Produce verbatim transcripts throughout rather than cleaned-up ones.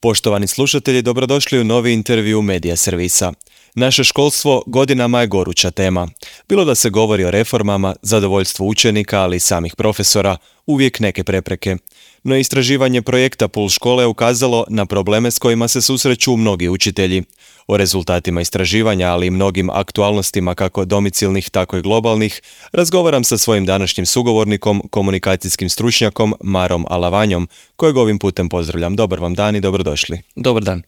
Poštovani slušatelji, dobrodošli u novi intervju Medija servisa. Naše školstvo godinama je goruća tema. Bilo da se govori o reformama, zadovoljstvu učenika, ali i samih profesora, uvijek neke prepreke. No istraživanje projekta Puls škole je ukazalo na probleme s kojima se susreću mnogi učitelji. O rezultatima istraživanja, ali i mnogim aktualnostima kako domicilnih, tako i globalnih, razgovaram sa svojim današnjim sugovornikom, komunikacijskim stručnjakom Marom Alavanjom, kojeg ovim putem pozdravljam. Dobar vam dan i dobrodošli. Dobar dan.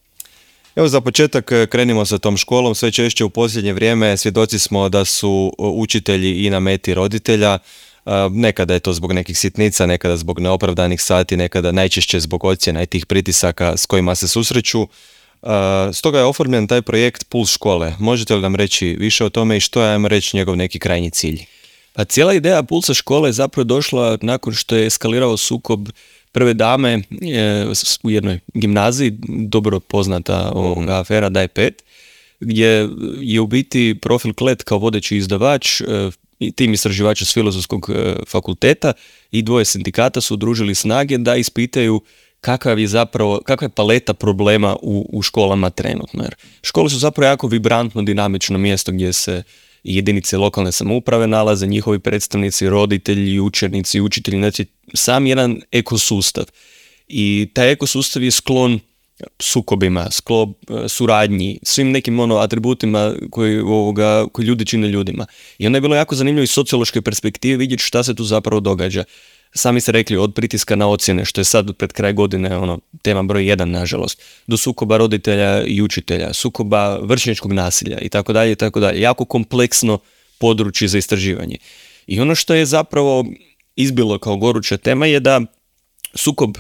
Evo za početak krenimo sa tom školom. Sve češće u posljednje vrijeme svjedoci smo da su učitelji i na meti roditelja. Nekada je to zbog nekih sitnica, nekada zbog neopravdanih sati, nekada najčešće zbog ocjena i tih pritisaka s kojima se susreću. Stoga je oformljen taj projekt Puls škole. Možete li nam reći više o tome i što je, ajmo reći, njegov neki krajnji cilj? Pa cijela ideja Pulsa škole je zapravo došla nakon što je eskalirao sukob prve dame u jednoj gimnaziji, dobro poznata mm. afera Daj pet, gdje je u biti Profil Klet kao vodeći izdavač i tim istraživača s Filozofskog fakulteta i dvoje sindikata su udružili snage da ispitaju kakav je zapravo, kakva je paleta problema u, u školama trenutno. Jer škole su zapravo jako vibrantno, dinamično mjesto gdje se jedinice lokalne samouprave nalaze, njihovi predstavnici, roditelji, učenici, učitelji, znači sam jedan ekosustav. I taj ekosustav je sklon sukobima, sklon suradnji, svim nekim ono atributima koji, ovoga, koji ljudi čine ljudima. I onda je bilo jako zanimljivo iz sociološke perspektive vidjeti šta se tu zapravo događa. Sami ste rekli, od pritiska na ocjene, što je sad pred kraj godine ono, tema broj jedan, nažalost, do sukoba roditelja i učitelja, sukoba vršnjačkog nasilja i tako dalje i tako dalje. Jako kompleksno područje za istraživanje. I ono što je zapravo izbilo kao goruća tema je da sukob,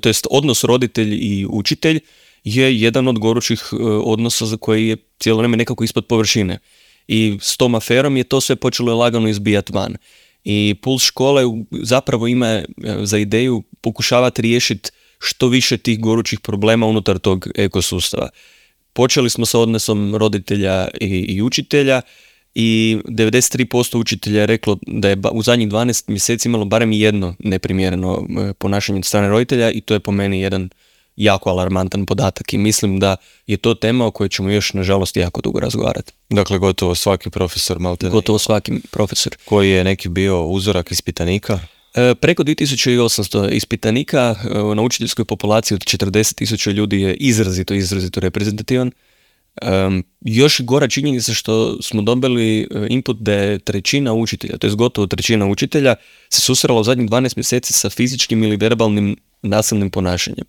to jest odnos roditelj i učitelj je jedan od gorućih odnosa za koji je cijelo vrijeme nekako ispod površine. I s tom aferom je to sve počelo lagano izbijati van. I Puls škole zapravo ima za ideju pokušavati riješiti što više tih gorućih problema unutar tog ekosustava. Počeli smo sa odnosom roditelja i, i učitelja i devedeset tri posto učitelja je reklo da je u zadnjih dvanaest mjeseci imalo barem jedno neprimjereno ponašanje od strane roditelja i to je po meni jedan jako alarmantan podatak i mislim da je to tema o kojoj ćemo još nažalost jako dugo razgovarati. Dakle, gotovo svaki profesor malte Gotovo svaki profesor. Koji je neki bio uzorak ispitanika? E, preko dvije tisuće osamsto ispitanika e, na učiteljskoj populaciji od četrdeset tisuća ljudi je izrazito, izrazito reprezentativan. E, još gora činjenica što smo dobili input da je trećina učitelja, to je gotovo trećina učitelja, se susrela u zadnjih dvanaest mjeseci sa fizičkim ili verbalnim nasilnim ponašanjem.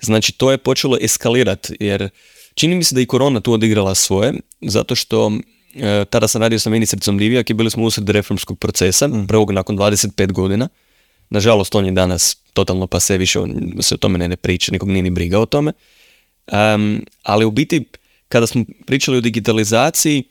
Znači, to je počelo eskalirati, jer čini mi se da i korona tu odigrala svoje, zato što e, tada sam radio sa ministricom Divjak i bili smo usred reformskog procesa, mm. prvog nakon dvadeset pet godina. Nažalost, on je danas totalno pa sve više se o tome ne, ne priča, nikog nije ni briga o tome. Um, ali u biti, kada smo pričali o digitalizaciji,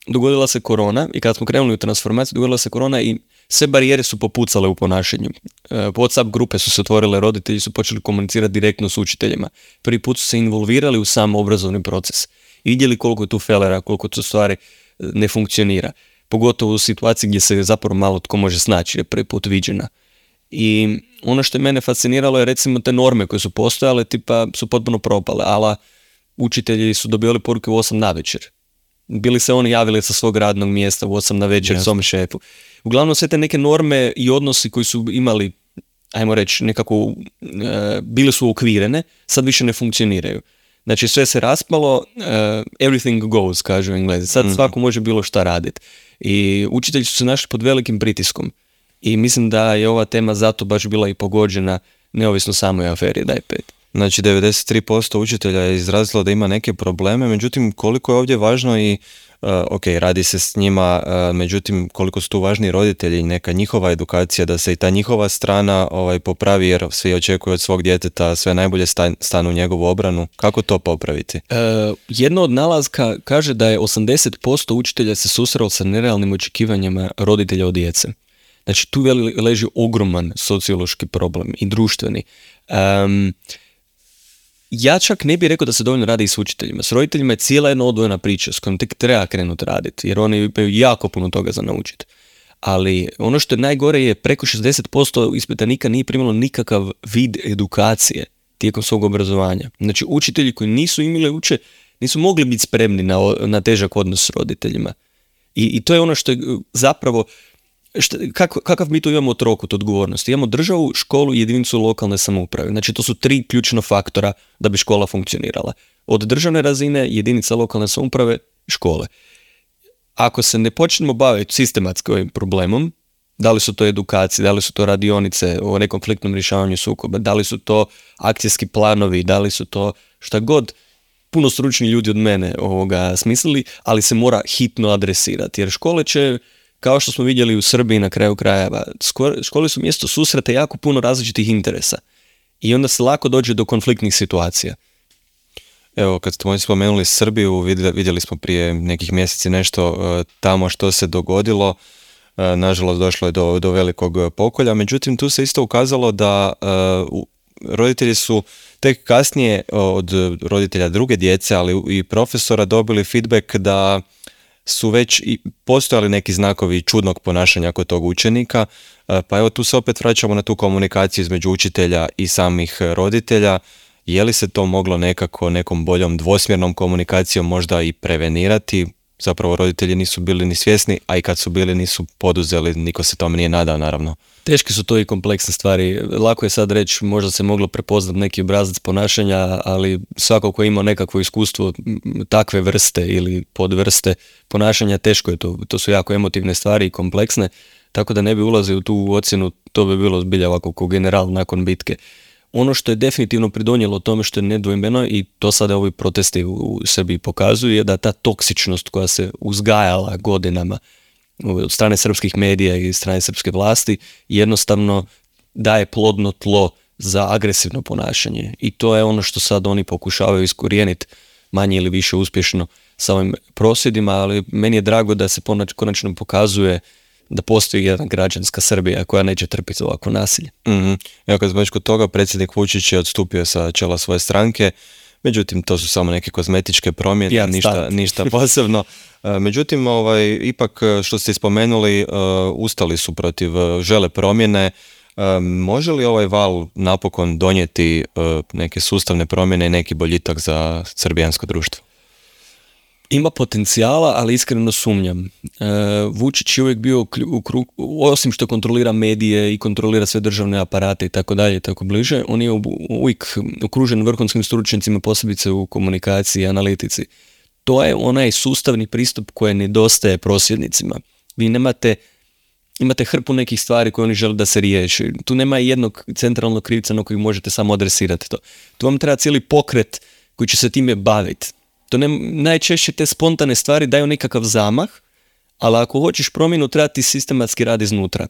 dogodila se korona i kada smo krenuli u transformaciju, dogodila se korona i sve barijere su popucale u ponašanju. WhatsApp grupe su se otvorile, roditelji su počeli komunicirati direktno s učiteljima. Prvi put su se involvirali u sam obrazovni proces i vidjeli koliko je tu felera, koliko to stvari ne funkcionira. Pogotovo u situaciji gdje se zapravo malo tko može snaći, je prvi put viđena. I ono što je mene fasciniralo je recimo te norme koje su postojale, tipa su potpuno propale, ali učitelji su dobivali poruke u osam navečer. Bili se oni javili sa svog radnog mjesta u osam navečer yes. svom šefu. Uglavnom sve te neke norme i odnosi koji su imali, ajmo reći, nekako e, bile su ukvirene, sad više ne funkcioniraju. Znači sve se raspalo, uh, everything goes, kažu Englezi. Sad mm. svako može bilo šta raditi. I učitelji su se našli pod velikim pritiskom. I mislim da je ova tema zato baš bila i pogođena, neovisno samoj aferi Daj pet. Znači devedeset tri posto učitelja je izrazilo da ima neke probleme, međutim koliko je ovdje važno i Uh, ok, radi se s njima, uh, međutim koliko su tu važni roditelji i neka njihova edukacija, da se i ta njihova strana ovaj, popravi, jer svi očekuju od svog djeteta sve najbolje stan, stanu u njegovu obranu. Kako to popraviti? Uh, jedno od nalazka kaže da je osamdeset posto učitelja se susrelo sa nerealnim očekivanjima roditelja od djece. Znači tu leži ogroman sociološki problem i društveni. Um, Ja čak ne bih rekao da se dovoljno radi i s učiteljima. S roditeljima je cijela jedna odvojena priča s kojom tek treba krenuti raditi, jer oni imaju jako puno toga za naučiti. Ali ono što je najgore je preko šezdeset posto ispitanika nije primalo nikakav vid edukacije tijekom svog obrazovanja. Znači, učitelji koji nisu imali uče, nisu mogli biti spremni na, na težak odnos s roditeljima. I, i to je ono što je zapravo, što, kako, kakav mi tu imamo trokut odgovornosti. Imamo državu, školu i jedinicu lokalne samouprave. Znači, to su tri ključna faktora da bi škola funkcionirala. Od državne razine, jedinica lokalne samouprave, škole. Ako se ne počnemo baviti sistematski ovim problemom, da li su to edukacije, da li su to radionice o nekonfliktnom rješavanju sukoba, da li su to akcijski planovi, da li su to šta god, puno stručni ljudi od mene ovoga smislili, ali se mora hitno adresirati. Jer škole će, kao što smo vidjeli u Srbiji na kraju krajeva, škole su mjesto susreta jako puno različitih interesa. I onda se lako dođe do konfliktnih situacija. Evo, kad ste spomenuli Srbiju, vidjeli smo prije nekih mjeseci nešto tamo što se dogodilo. Nažalost, došlo je do, do velikog pokolja. Međutim, tu se isto ukazalo da uh, roditelji su tek kasnije od roditelja druge djece, ali i profesora dobili feedback da su već i postojali neki znakovi čudnog ponašanja kod tog učenika. Uh, pa evo, tu se opet vraćamo na tu komunikaciju između učitelja i samih roditelja. Je li se to moglo nekako nekom boljom dvosmjernom komunikacijom možda i prevenirati? Zapravo roditelji nisu bili ni svjesni, a i kad su bili nisu poduzeli, niko se tome nije nadao, naravno. Teške su to i kompleksne stvari. Lako je sad reći, možda se moglo prepoznati neki obrazac ponašanja, ali svako ko ima nekakvo iskustvo takve vrste ili podvrste ponašanja, teško je to. To su jako emotivne stvari i kompleksne, tako da ne bi ulazio u tu ocjenu, to bi bilo zbilja ovako kao general nakon bitke. Ono što je definitivno pridonijelo tome što je nedvojbeno, i to sada ovi protesti u Srbiji pokazuju, je da ta toksičnost koja se uzgajala godinama od strane srpskih medija i strane srpske vlasti jednostavno daje plodno tlo za agresivno ponašanje. I to je ono što sad oni pokušavaju iskorijeniti manje ili više uspješno sa ovim prosvjedima, ali meni je drago da se konačno pokazuje da postoji jedna građanska Srbija koja neće trpiti ovako nasilje. Mm-hmm. Evo, kad smo već kod toga, predsjednik Vučić je odstupio sa čela svoje stranke, međutim to su samo neke kozmetičke promjene, ja, ništa, ništa posebno. Međutim, ovaj, ipak što ste spomenuli, uh, ustali su protiv, uh, žele promjene. Uh, može li ovaj val napokon donijeti uh, neke sustavne promjene i neki boljitak za srbijansko društvo? Ima potencijala, ali iskreno sumnjam. E, Vučić je uvijek bio u krug, osim što kontrolira medije i kontrolira sve državne aparate i tako dalje i tako bliže, on je uvijek okružen vrhunskim stručnjacima, posebice u komunikaciji i analitici. To je onaj sustavni pristup koji nedostaje prosvjednicima. Vi nemate, imate hrpu nekih stvari koje oni žele da se riješi. Tu nema jednog centralnog krivca na kojeg možete samo adresirati to. Tu vam treba cijeli pokret koji će se time baviti. To ne, najčešće te spontane stvari daju nekakav zamah, ali ako hoćeš promjenu, treba ti sistematski rad iznutra.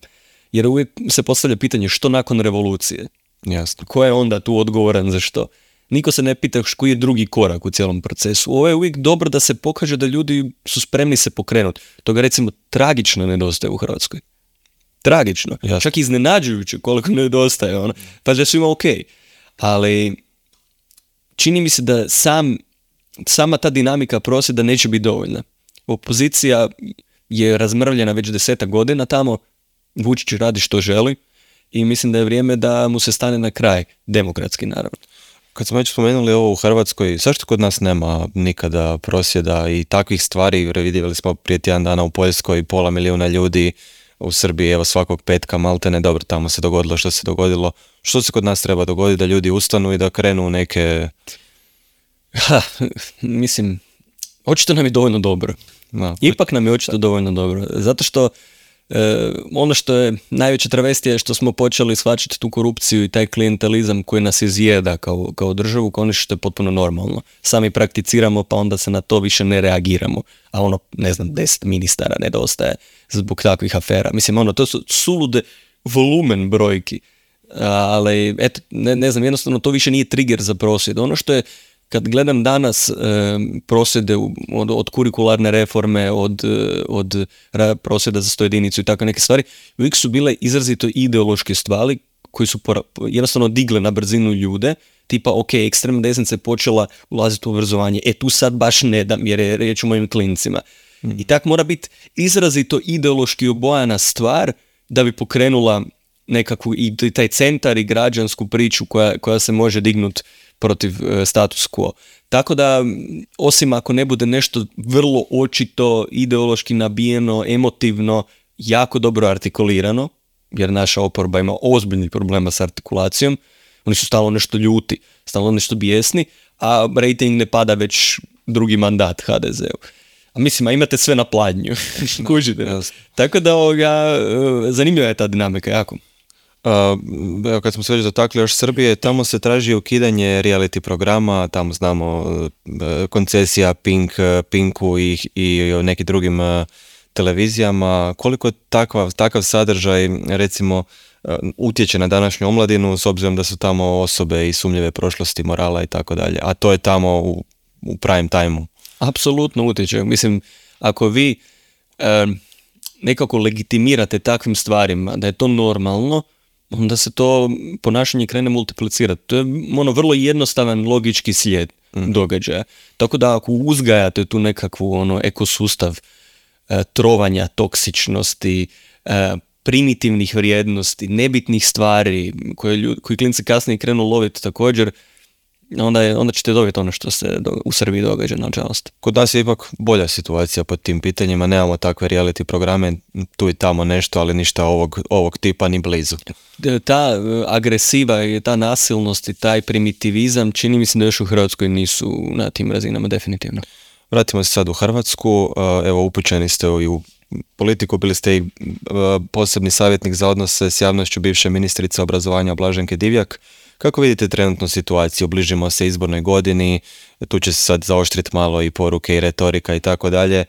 Jer uvijek se postavlja pitanje što nakon revolucije. Jasno. Ko je onda tu odgovoran za što? Niko se ne pita koji je drugi korak u cijelom procesu. Ovo je uvijek dobro da se pokaže da ljudi su spremni se pokrenuti. Toga recimo tragično nedostaje u Hrvatskoj. Tragično. Jasno. Čak iznenađujuće koliko nedostaje. Ono. Pa da su ima ok. Ali čini mi se da sam sama ta dinamika prosvjeda neće biti dovoljna. Opozicija je razmrvljena već desetak godina tamo, Vučić radi što želi i mislim da je vrijeme da mu se stane na kraj, demokratski naravno. Kad smo već spomenuli ovo u Hrvatskoj, zašto kod nas nema nikada prosvjeda i takvih stvari? Vidjeli smo prije tjedan dana u Poljskoj pola milijuna ljudi, u Srbiji evo svakog petka maltene, dobro, tamo se dogodilo što se dogodilo. Što se kod nas treba dogoditi da ljudi ustanu i da krenu u neke... Ha, mislim, očito nam je dovoljno dobro. No. Ipak nam je očito dovoljno dobro. Zato što e, ono što je najveća travestija je što smo počeli shvaćati tu korupciju i taj klijentelizam koji nas izjeda kao, kao državu, kao nešto što je potpuno normalno. Sami prakticiramo pa onda se na to više ne reagiramo. A ono, ne znam, deset ministara nedostaje zbog takvih afera. Mislim, ono, to su sulude volumen brojki. Ali, eto, ne, ne znam, jednostavno to više nije trigger za prosvjed. Ono što je kad gledam danas e, prosvjede od, od kurikularne reforme, od, od prosvjeda za sto jedinicu i tako neke stvari, uvijek su bile izrazito ideološke stvari koji su pora, jednostavno digle na brzinu ljude, tipa ok, ekstremna desnica je počela ulaziti u obrazovanje, e tu sad baš ne dam jer je riječ o mojim klincima. Mm. I tak mora biti izrazito ideološki obojana stvar da bi pokrenula nekakvu i taj centar i građansku priču koja, koja se može dignuti protiv e, status quo. Tako da, osim ako ne bude nešto vrlo očito, ideološki nabijeno, emotivno, jako dobro artikulirano, jer naša oporba ima ozbiljnih problema s artikulacijom, oni su stalno nešto ljuti, stalno nešto bijesni, a rating ne pada već drugi mandat ha de zeu. A mislim, a imate sve na pladnju. Kužite. Yes. Tako da ovoga, zanimljiva je ta dinamika jako. Uh, evo kad smo se već dotakli još Srbije, tamo se traži ukidanje reality programa, tamo znamo uh, koncesija Pink, Pinku i, i nekim drugim uh, televizijama. Koliko takva, takav sadržaj recimo uh, utječe na današnju omladinu s obzirom da su tamo osobe i sumnjive prošlosti, morala i tako dalje, a to je tamo u, u prime time-u. Apsolutno utječe. Mislim, ako vi uh, nekako legitimirate takvim stvarima da je to normalno, onda se to ponašanje krene multiplicirati. To je ono vrlo jednostavan logički slijed mm. događaja. Tako da ako uzgajate tu nekakvu ono ekosustav e, trovanja, toksičnosti, e, primitivnih vrijednosti, nebitnih stvari koje, ljud, koji klinci kasnije krenu loviti također, onda, je, onda ćete dobiti ono što se do, u Srbiji događa, nažalost. Kod nas je ipak bolja situacija pod tim pitanjima, nemamo takve reality programe, tu i tamo nešto, ali ništa ovog, ovog tipa ni blizu. Ta agresiva i ta nasilnost i taj primitivizam čini mi se da još u Hrvatskoj nisu na tim razinama definitivno. Vratimo se sad u Hrvatsku, evo upućeni ste i u politiku, bili ste i posebni savjetnik za odnose s javnošću bivše ministrice obrazovanja Blaženke Divjak. Kako vidite trenutnu situaciju? Bližimo se izbornoj godini, tu će se sad zaoštriti malo i poruke i retorika i tako dalje.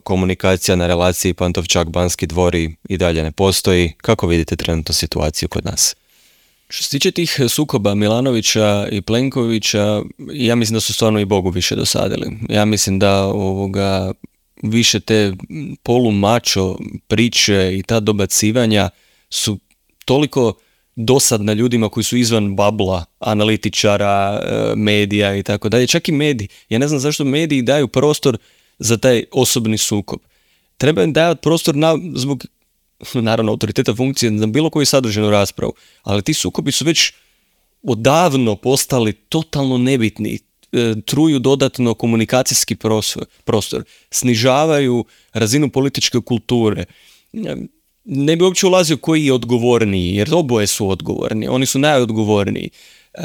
Komunikacija na relaciji Pantovčak-Banski dvor i dalje ne postoji. Kako vidite trenutnu situaciju kod nas? Što se tiče tih sukoba Milanovića i Plenkovića, ja mislim da su stvarno i Bogu više dosadili. Ja mislim da ovoga više te polumačo priče i ta dobacivanja su toliko dosadna ljudima koji su izvan babla, analitičara, medija i tako dalje. Čak i mediji. Ja ne znam zašto mediji daju prostor za taj osobni sukob. Treba im dati prostor na, zbog, naravno, autoriteta funkcije na bilo koju sadržajnu raspravu, ali ti sukobi su već odavno postali totalno nebitni, truju dodatno komunikacijski prostor, snižavaju razinu političke kulture. Ne bi uopće ulazio koji je odgovorniji, jer oboje su odgovorni, oni su najodgovorniji. E,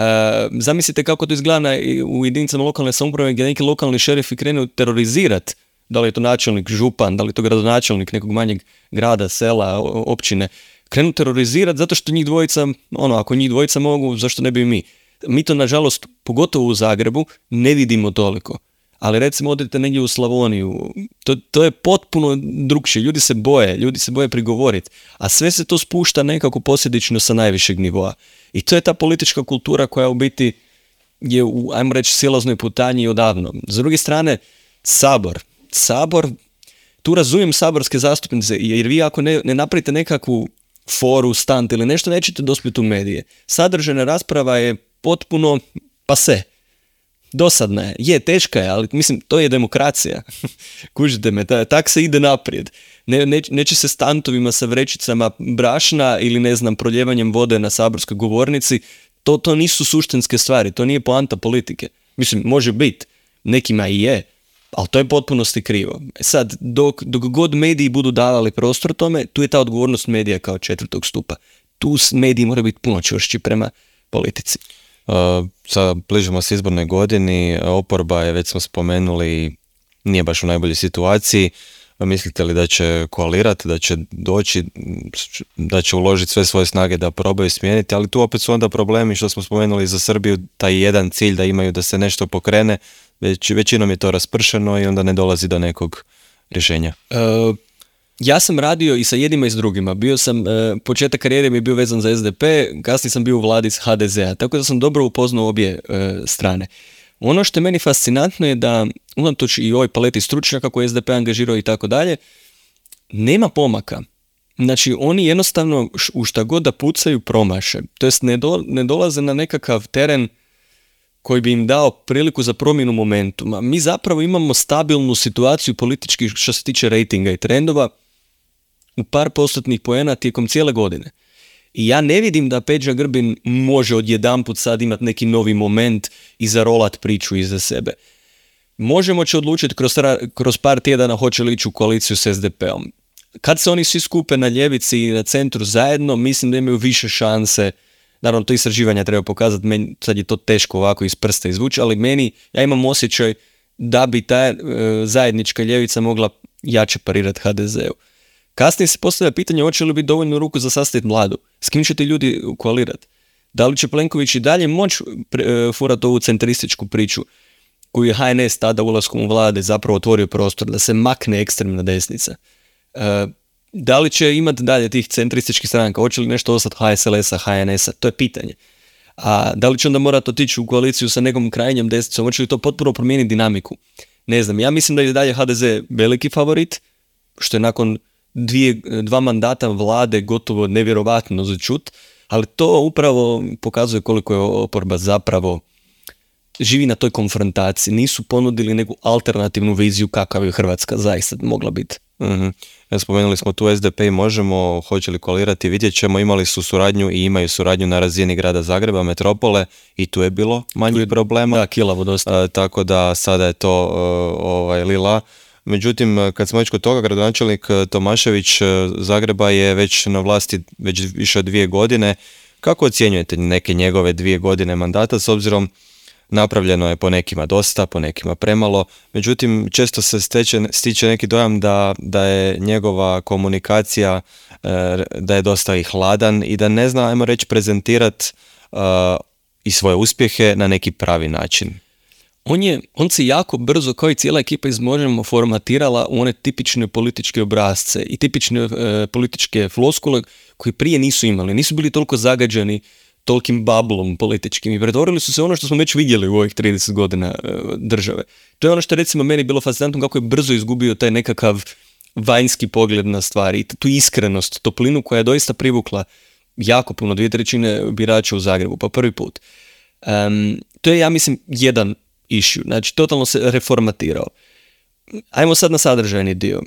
zamislite kako to izgleda u jedinicama lokalne samouprave gdje neki lokalni šerifi krenu terorizirati, da li je to načelnik, župan, da li je to gradonačelnik nekog manjeg grada, sela, općine, krenu terorizirati zato što njih dvojica, ono, ako njih dvojica mogu, zašto ne bi mi? Mi to, nažalost, pogotovo u Zagrebu, ne vidimo toliko. Ali recimo odete negdje u Slavoniju, to, to je potpuno drukčije, ljudi se boje, ljudi se boje prigovoriti, a sve se to spušta nekako posljedično sa najvišeg nivoa. I to je ta politička kultura koja u biti je u, ajmo reći, silaznoj putanji odavno. S druge strane, Sabor. Sabor, tu razumijem saborske zastupnice, jer vi ako ne, ne napravite nekakvu foru, stant ili nešto, nećete dospjeti u medije. Sadržajna rasprava je potpuno pase. Dosadna je, je, teška je, ali mislim, to je demokracija. Kužite me, tak se ide naprijed. Ne, ne, neće se stantovima sa vrećicama brašna ili, ne znam, proljevanjem vode na saborskoj govornici. To, to nisu suštinske stvari, to nije poanta politike. Mislim, može biti, nekima i je, ali to je potpunosti krivo. Sad, dok, dok god mediji budu davali prostor tome, tu je ta odgovornost medija kao četvrtog stupa. Tu mediji moraju biti puno čvršći prema politici. Uh, sad bližimo se izbornoj godini, oporba je, već smo spomenuli, nije baš u najboljoj situaciji. Mislite li da će koalirati, da će doći, da će uložiti sve svoje snage da probaju smijeniti, ali tu opet su onda problemi što smo spomenuli za Srbiju, taj jedan cilj da imaju da se nešto pokrene, već, većinom je to raspršeno i onda ne dolazi do nekog rješenja. Uh... Ja sam radio i sa jednima i s drugima. Bio sam, e, početak karijere mi je bio vezan za es de pe, kasnije sam bio u vladi s ha de zea, tako da sam dobro upoznao obje e, strane. Ono što je meni fascinantno je da, unatoč i ovoj paleti stručnjaka koje es de pe angažirao i tako dalje, nema pomaka. Znači, oni jednostavno u šta god da pucaju promaše. To jest ne, do, ne dolaze na nekakav teren koji bi im dao priliku za promjenu momentuma. Mi zapravo imamo stabilnu situaciju politički što se tiče rejtinga i trendova u par postotnih poena tijekom cijele godine. I ja ne vidim da Peđa Grbin može odjedanput sad imati neki novi moment i zarolat priču iza sebe. Možemo će odlučiti kroz, kroz par tjedana hoće li ići u koaliciju s es de peom. Kad se oni svi skupe na ljevici i na centru zajedno, mislim da imaju više šanse. Naravno, to istraživanja treba pokazati, meni, sad je to teško ovako iz prsta izvući, ali meni, ja imam osjećaj da bi ta e, zajednička ljevica mogla jače parirati ha de zeu. Kasnije se postavlja pitanje hoće li biti dovoljno ruku za sastaviti Vladu. S kim će ti ljudi koalirati? Da li će Plenković i dalje moći e, furati ovu centrističku priču koju je ha en es tada ulaskom u Vlade zapravo otvorio prostor da se makne ekstremna desnica? E, da li će imati dalje tih centrističkih stranaka? Hoće li nešto ostati ha es el esa, ha en esa? To je pitanje. A da li će onda morati otići u koaliciju sa nekom krajnjom desnicom? Hoće li to potpuno promijeniti dinamiku? Ne znam, ja mislim da je dalje ha de ze veliki favorit, što je nakon dvije, dva mandata Vlade gotovo nevjerovatno za čut, ali to upravo pokazuje koliko je oporba zapravo živi na toj konfrontaciji. Nisu ponudili neku alternativnu viziju kakav je Hrvatska zaista mogla biti. Mm-hmm. Spomenuli smo tu es de pe i Možemo, hoće li koalirati, vidjet ćemo, imali su suradnju i imaju suradnju na razini grada Zagreba, metropole i tu je bilo manjih problema. Da, kilavo dosta. Uh, tako da sada je to uh, ovaj, lila. Međutim, kad smo već kod toga, gradonačelnik Tomašević Zagreba je već na vlasti već više od dvije godine. Kako ocjenjujete neke njegove dvije godine mandata s obzirom napravljeno je po nekima dosta, po nekima premalo, međutim često se steče, stiče neki dojam da, da je njegova komunikacija da je dosta i hladan i da ne zna, ajmo reći, prezentirati uh, i svoje uspjehe na neki pravi način. On, je, on se jako brzo, kao i cijela ekipa iz Možemo, formatirala u one tipične političke obrasce i tipične e, političke floskule koje prije nisu imali. Nisu bili toliko zagađeni tolikim bablom političkim i pretvorili su se ono što smo već vidjeli u ovih trideset godina e, države. To je ono što je recimo meni bilo fascinantno kako je brzo izgubio taj nekakav vanjski pogled na stvari i tu iskrenost, toplinu koja je doista privukla jako puno, dvije trećine birača u Zagrebu, pa prvi put. Um, to je, ja mislim, jedan issue, znači totalno se reformatirao. Ajmo sad na sadržajni dio.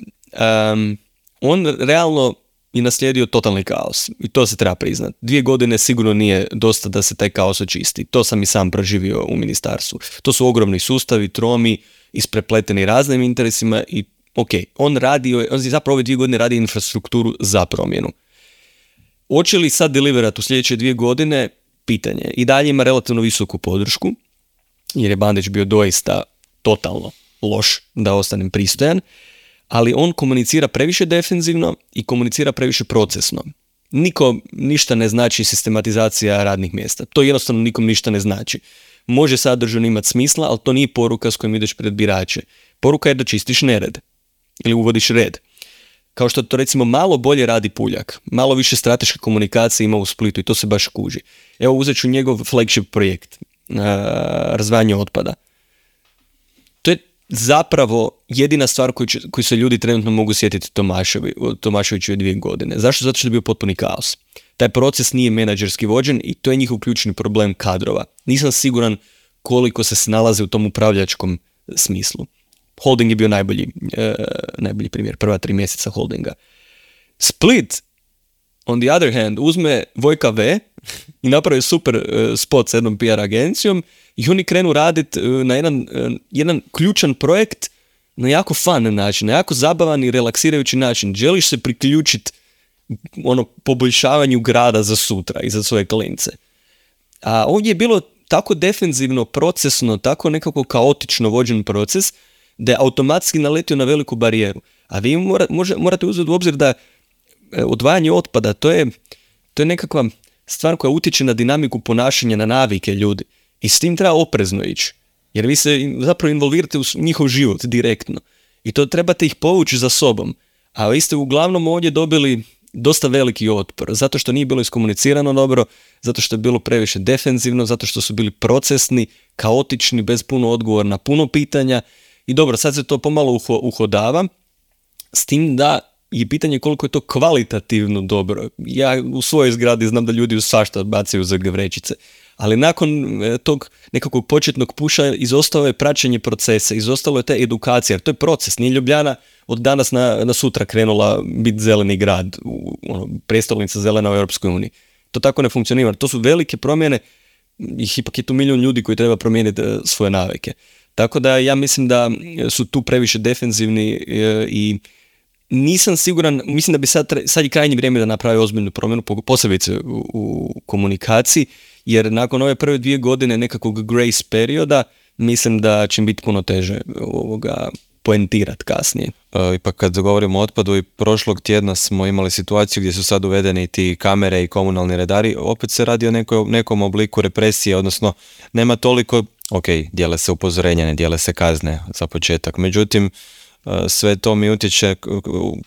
Um, on realno je naslijedio totalni kaos i to se treba priznati. Dvije godine sigurno nije dosta da se taj kaos očisti. To sam i sam proživio u ministarstvu. To su ogromni sustavi, tromi, isprepleteni raznim interesima i ok, on radi, on zapravo ove dvije godine radi infrastrukturu za promjenu. Hoće li sad deliverati u sljedeće dvije godine? Pitanje. I dalje ima relativno visoku podršku, jer je Bandić bio doista totalno loš, da ostanem pristojan, ali on komunicira previše defenzivno i komunicira previše procesno. Niko ništa ne znači sistematizacija radnih mjesta. To jednostavno nikom ništa ne znači. Može sadržajno imati smisla, ali to nije poruka s kojom ideš pred birače. Poruka je da čistiš nered ili uvodiš red. Kao što to recimo malo bolje radi Puljak. Malo više strateške komunikacije ima u Splitu i to se baš kuži. Evo uzet ću njegov flagship projekt. Uh, razvajanje otpada. To je zapravo jedina stvar koju, će, koju se ljudi trenutno mogu sjetiti Tomaševi, Tomaševiću je dvije godine. Zašto? Zato što je bio potpuni kaos. Taj proces nije menadžerski vođen i to je njihov ključni problem kadrova. Nisam siguran koliko se snalaze u tom upravljačkom smislu. Holding je bio najbolji, uh, najbolji primjer, prva tri mjeseca holdinga. Split, on the other hand, uzme Vojka V i napravi super uh, spot s jednom P R agencijom i oni krenu raditi uh, na jedan, uh, jedan ključan projekt na jako fun način, na jako zabavan i relaksirajući način. Želiš se priključiti ono poboljšavanju grada za sutra i za svoje klince. A ovdje je bilo tako defenzivno, procesno, tako nekako kaotično vođen proces da je automatski naletio na veliku barijeru. A vi mora, može, morate uzeti u obzir da odvajanje otpada, to je, to je nekakva stvar koja utječe na dinamiku ponašanja, na navike ljudi. I s tim treba oprezno ići. Jer vi se zapravo involvirate u njihov život direktno. I to trebate ih povući za sobom. A vi ste uglavnom ovdje dobili dosta veliki otpor. Zato što nije bilo iskomunicirano dobro, zato što je bilo previše defenzivno, zato što su bili procesni, kaotični, bez puno odgovora na puno pitanja. I dobro, sad se to pomalo uho, uhodava. S tim da je pitanje koliko je to kvalitativno dobro. Ja u svojoj zgradi znam da ljudi u svašta bacaju za vrećice. Ali nakon tog nekakvog početnog puša izostalo je praćenje procesa, izostalo je ta edukacija, jer to je proces. Nije Ljubljana od danas na, na sutra krenula biti zeleni grad, u, ono, prestolnica zelena u Europskoj uniji. To tako ne funkcionira. To su velike promjene i ipak je tu milijun ljudi koji treba promijeniti svoje navike. Tako da ja mislim da su tu previše defenzivni i nisam siguran, mislim da bi sad, sad je krajnje vrijeme da napravi ozbiljnu promjenu, posebice u, u komunikaciji, jer nakon ove prve dvije godine nekakvog grace perioda, mislim da će biti puno teže ovoga poentirati kasnije. E, ipak kad govorimo o otpadu, i prošlog tjedna smo imali situaciju gdje su sad uvedeni ti kamere i komunalni redari, opet se radi o nekoj, nekom obliku represije, odnosno nema toliko, ok, dijele se upozorenja, ne dijele se kazne za početak, međutim, sve to mi utječe,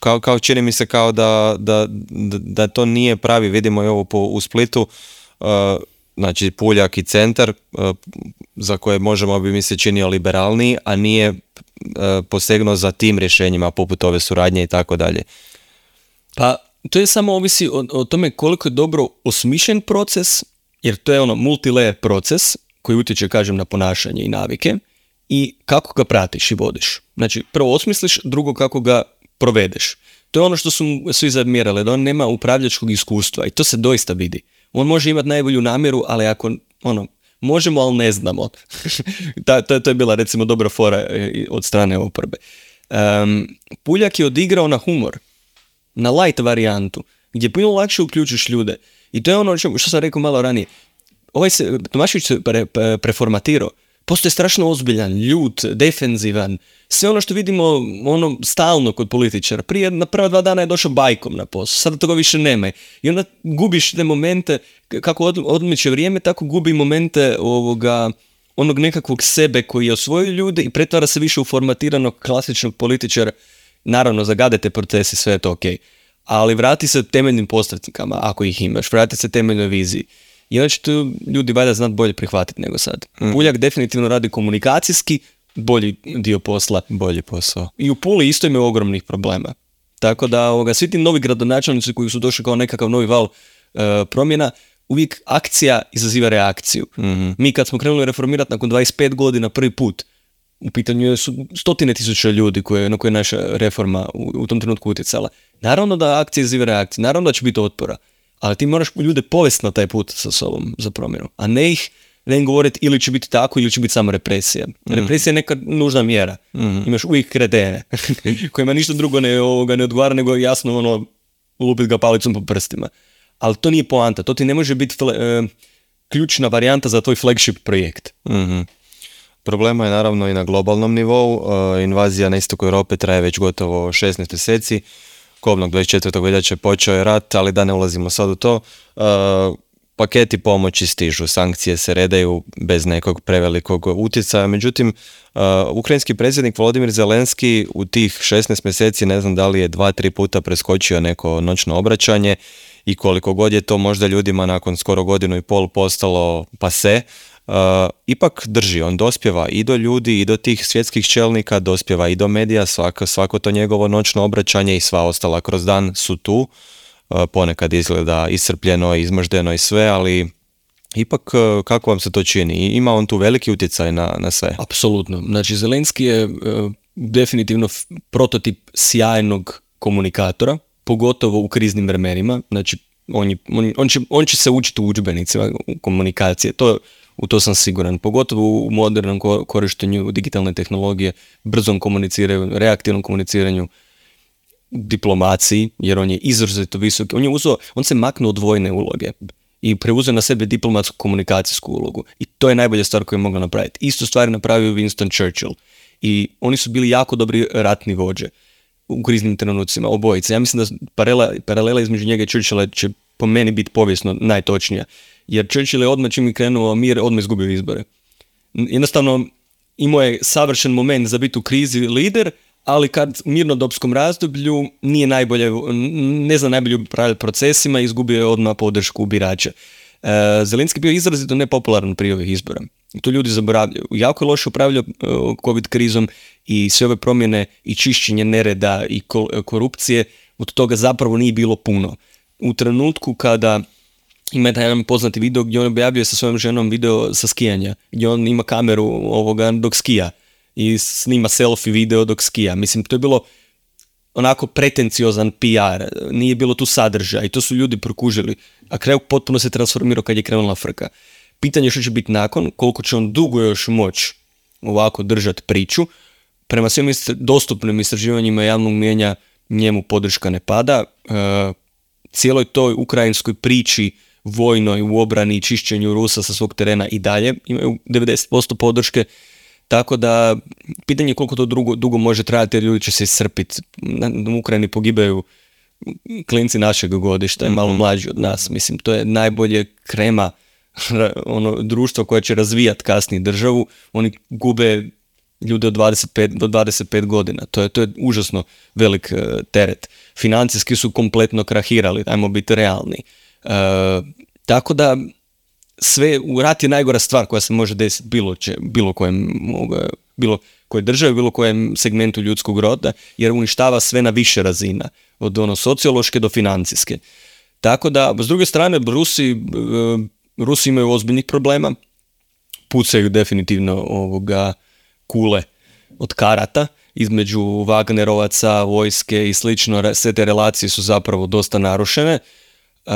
kao, kao čini mi se kao da, da, da to nije pravi, vidimo i ovo po, u Splitu, uh, znači Puljak i centar, uh, za koje možemo bi mi se činio liberalniji, a nije uh, posegnuo za tim rješenjima poput ove suradnje i tako dalje. Pa to je samo ovisi o, o tome koliko je dobro osmišljen proces, jer to je ono multilayer proces koji utječe, kažem, na ponašanje i navike, i kako ga pratiš i vodiš. Znači, prvo osmisliš, drugo kako ga provedeš. To je ono što su svi zamjerali, da on nema upravljačkog iskustva i to se doista vidi. On može imati najbolju namjeru, ali ako, ono, možemo, ali ne znamo. Ta, to, to je bila, recimo, dobra fora od strane oporbe. Um, Puljak je odigrao na humor, na light varijantu, gdje puno lakše uključiš ljude. I to je ono što sam rekao malo ranije. Ovaj se, Tomašević se pre, pre, preformatirao. Postoje strašno ozbiljan, ljut, defenzivan, sve ono što vidimo ono stalno kod političara. Prije na prva dva dana je došao bajkom na posao, sada toga više nema. I onda gubiš te momente, kako od, odmiče vrijeme, tako gubi momente ovoga, onog nekakvog sebe koji je osvojio ljude i pretvara se više u formatiranog klasičnog političara. Naravno, zagade te procesi, sve je to ok. Ali vrati se temeljnim postavkama, ako ih imaš, vrati se temeljnoj viziji. I onda će tu ljudi valjda znati bolje prihvatiti nego sad. Mm. Puljak definitivno radi komunikacijski bolji dio posla. Bolji posao. I u Puli isto imaju ogromnih problema. Tako da ovoga, svi ti novi gradonačelnici koji su došli kao nekakav novi val uh, promjena, uvijek akcija izaziva reakciju. Mm-hmm. Mi kad smo krenuli reformirati nakon dvadeset pet godina prvi put, u pitanju su stotine tisuća ljudi koje, na koje je naša reforma u, u tom trenutku utjecala. Naravno da akcija izaziva reakciju, naravno da će biti otpora. Ali ti moraš ljude povesti na taj put sa sobom za promjenu, a ne ih ne im govoriti ili će biti tako ili će biti samo represija. Mm. Represija je neka nužna mjera. Mm. Imaš uvijek kretene kojima ništa drugo ne, ovoga, ne odgovara nego jasno ono, lupit ga palicom po prstima. Ali to nije poanta, to ti ne može biti fle, e, ključna varijanta za tvoj flagship projekt. Mm-hmm. Problema je naravno i na globalnom nivou. E, invazija na istoku Europe traje već gotovo šesnaest mjeseci. Kobnog dvadeset četvrtog veljače počeo je rat, ali da ne ulazimo sad u to. Uh, paketi pomoći stižu, sankcije se redaju bez nekog prevelikog utjecaja. Međutim, uh, ukrajinski predsjednik Volodimir Zelenski u tih šesnaest mjeseci, ne znam da li je dva, tri puta preskočio neko noćno obraćanje i koliko god je to možda ljudima nakon skoro godinu i pol postalo pase, Uh, ipak drži, on dospjeva i do ljudi i do tih svjetskih čelnika, dospjeva i do medija, svako, svako to njegovo noćno obraćanje i sva ostala kroz dan su tu, uh, ponekad izgleda iscrpljeno, izmrždeno i sve, ali ipak uh, kako vam se to čini? Ima on tu veliki utjecaj na, na sve? Apsolutno, znači Zelenski je uh, definitivno f- prototip sjajnog komunikatora, pogotovo u kriznim vremenima, znači on, je, on, on, će, on će se učiti u udžbenicima komunikacije, to u to sam siguran, pogotovo u modernom korištenju digitalne tehnologije, brzom komuniciranju, reaktivnom komuniciranju, diplomaciji, jer on je izrazito visok. On je uzeo, on se maknuo od vojne uloge i preuzeo na sebe diplomatsku komunikacijsku ulogu. I to je najbolja stvar koju je mogla napraviti. Isto stvar je napravio Winston Churchill. I oni su bili jako dobri ratni vođe u kriznim trenucima, obojice. Ja mislim da paralela, paralela između njega i Churchilla će po meni biti povijesno najtočnija. Jer Churchill je odmah čim je krenuo mir, odmah izgubio izbore. Jednostavno, imao je savršen moment za biti u krizi lider, ali kad u mirnodopskom razdoblju nije najbolje, ne zna najbolje upravljati procesima, izgubio je odmah podršku birača. E, Zelenski bio izrazito nepopularan prije ovih izbora. To ljudi zaboravljaju. Jako je loše upravljao COVID krizom i sve ove promjene i čišćenje nereda i korupcije, od toga zapravo nije bilo puno. U trenutku kada ima jedan poznati video gdje on objavljuje sa svojom ženom video sa skijanja, gdje on ima kameru ovoga dok skija i snima selfie video dok skija. Mislim, to je bilo onako pretenciozan P R, nije bilo tu sadržaja i to su ljudi prokužili, a kraj potpuno se transformirao kad je krenula frka. Pitanje što će biti nakon, koliko će on dugo još moći ovako držati priču. Prema svim istr- dostupnim istraživanjima javnog mijenja njemu podrška ne pada. E, cijeloj toj ukrajinskoj priči vojnoj u obrani i čišćenju Rusa sa svog terena i dalje imaju devedeset posto podrške. Tako da, pitanje je koliko to dugo, dugo može trajati jer ljudi će se iscrpiti. U Ukrajini pogibaju klinci našeg godišta, mm-hmm. malo mlađi od nas. Mislim, to je najbolje krema ono, društvo koje će razvijati kasnije državu. Oni gube ljude od dvadeset pet do dvadeset pet godina. To je, to je užasno velik uh, teret. Financijski su kompletno krahirali, ajmo biti realni. Uh, tako da, sve, u rat je najgora stvar koja se može desiti bilo, će, bilo kojem bilo koje državi, bilo kojem segmentu ljudskog roda, jer uništava sve na više razina, od ono sociološke do financijske. Tako da, s druge strane, Rusi, Rusi imaju ozbiljnih problema, pucaju definitivno ovoga kule od karata između Wagnerovaca, vojske i slično, sve te relacije su zapravo dosta narušene. Uh,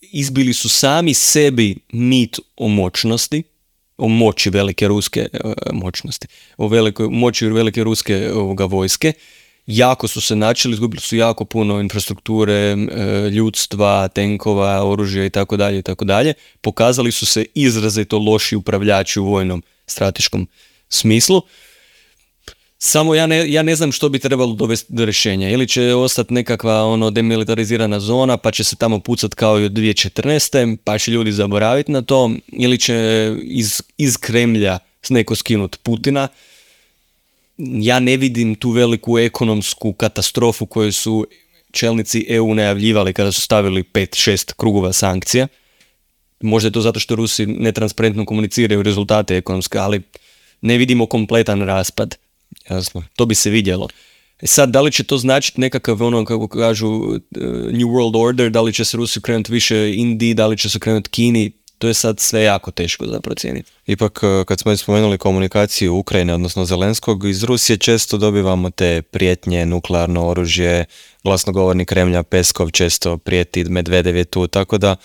izbili su sami sebi mit o moćnosti, o moći velike ruske uh, moćnosti, o velikoj moći velike ruske ovoga vojske. Jako su se načeli, izgubili su jako puno infrastrukture, uh, ljudstva, tenkova, oružja i tako dalje i tako dalje. Pokazali su se izrazito loši upravljači u vojnom strateškom smislu. Samo ja ne, ja ne znam što bi trebalo dovesti do rješenja. Ili će ostati nekakva ono demilitarizirana zona pa će se tamo pucat kao i od dvije tisuće četrnaeste. pa će ljudi zaboraviti na to. Ili će iz, iz Kremlja neko skinuti Putina. Ja ne vidim tu veliku ekonomsku katastrofu koju su čelnici E U najavljivali kada su stavili pet šest krugova sankcija. Možda je to zato što Rusi netransparentno komuniciraju rezultate ekonomske, ali ne vidimo kompletan raspad. Jasno. To bi se vidjelo. E sad, da li će to značiti nekakav, ono, kako kažu, uh, New World Order, da li će se Rusi krenuti više Indiji, da li će se krenuti Kini, to je sad sve jako teško za procijeniti. Ipak, kad smo spomenuli komunikaciju Ukrajine, odnosno Zelenskog, iz Rusije često dobivamo te prijetnje, nuklearno oružje, glasnogovornik Kremlja Peskov često prijeti, Medvedev je tu, tako da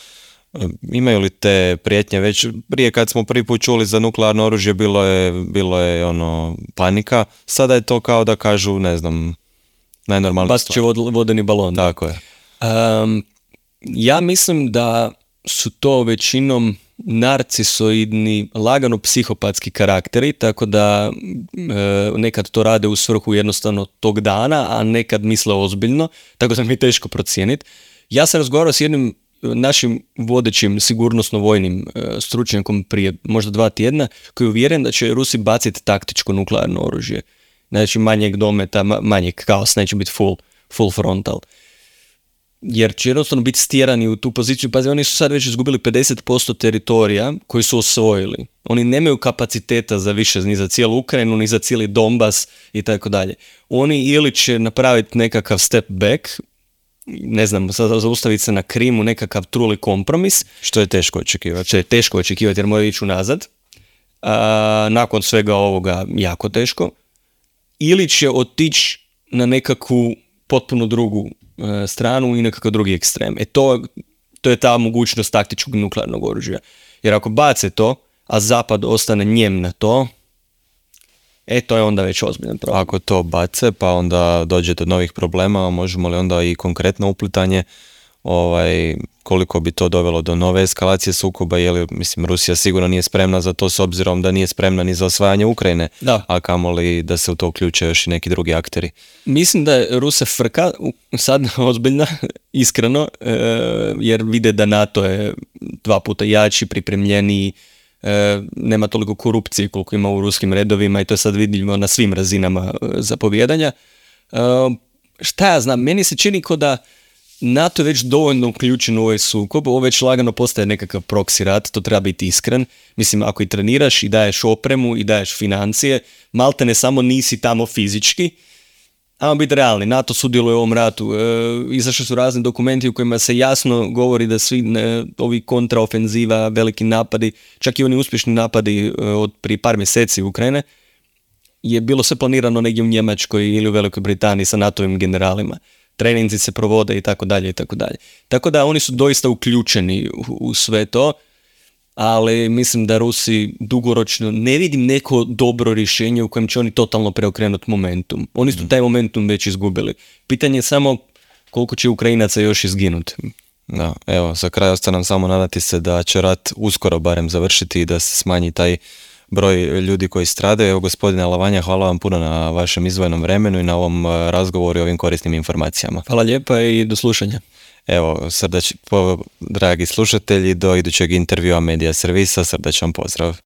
imaju li te prijetnje već prije kad smo prvi put čuli za nuklearno oružje bilo je, bilo je ono panika, sada je to kao da kažu, ne znam, najnormalnija stvar. Bas će vod, vodeni balon. Tako je. Um, ja mislim da su to većinom narcisoidni, lagano psihopatski karakteri, tako da e, nekad to rade u svrhu jednostavno tog dana, a nekad misle ozbiljno, tako da mi je teško procijeniti. Ja sam razgovarao s jednim našim vodećim sigurnosno-vojnim e, stručnjakom prije možda dva tjedna, koji je uvjeren da će Rusi baciti taktičko nuklearno oružje. Znači manjeg dometa, manjeg kaos, neće biti full, full frontal. Jer će jednostavno biti stjerani u tu poziciju. Pazi, oni su sad već izgubili pedeset posto teritorija koji su osvojili. Oni nemaju kapaciteta za više, ni za cijelu Ukrajinu, ni za cijeli Donbas i tako dalje. Oni ili će napraviti nekakav step back, ne znam, zaustaviti se na Krimu, nekakav truli kompromis. Što je teško očekivati. Što je teško očekivati jer moraju ići unazad. A, nakon svega ovoga jako teško. Ili će otići na nekakvu potpuno drugu e, stranu i nekakav drugi ekstrem. E to, to je ta mogućnost taktičkog nuklearnog oružja. Jer ako bace to, a Zapad ostane njem na to, e to je onda već ozbiljan problem. Ako to bace, pa onda dođe do novih problema, možemo li onda i konkretno uplitanje, ovaj, koliko bi to dovelo do nove eskalacije sukoba, je li, mislim, Rusija sigurno nije spremna za to s obzirom da nije spremna ni za osvajanje Ukrajine, da. A kamoli da se u to uključe još i neki drugi akteri. Mislim da je Ruse frka sad ozbiljna, iskreno, e, jer vide da NATO je dva puta jači, pripremljeniji, e, nema toliko korupcije koliko ima u ruskim redovima i to je sad vidljivo na svim razinama e, zapovjedanja. E, šta ja znam, meni se čini kao da NATO je već dovoljno uključen u ovaj sukob, ovo već lagano postaje nekakav proksi rat, to treba biti iskren. Mislim, ako i treniraš i daješ opremu i daješ financije, malte ne samo nisi tamo fizički, ajmo biti realni, NATO sudjeluje u ovom ratu. E, izašli su razni dokumenti u kojima se jasno govori da svi ne, ovi kontraofenziva, veliki napadi, čak i oni uspješni napadi e, od prije par mjeseci Ukrajine, je bilo sve planirano negdje u Njemačkoj ili u Velikoj Britaniji sa NATO-ovim generalima. Treninzi se provode i tako dalje i tako dalje. Tako da oni su doista uključeni u, u sve to, ali mislim da Rusi dugoročno ne vidim neko dobro rješenje u kojem će oni totalno preokrenuti momentum. Oni su taj momentum već izgubili. Pitanje je samo koliko će Ukrajinaca još izginuti. Da, evo, za kraj ostaje nam samo nadati se da će rat uskoro barem završiti i da se smanji taj broj ljudi koji stradaju. Evo, gospodine Alavanja, hvala vam puno na vašem izdvojenom vremenu i na ovom razgovoru i ovim korisnim informacijama. Hvala lijepa i do slušanja. Evo, srdač, po, dragi slušatelji, do idućeg intervjua Medija Servisa, srdačan pozdrav.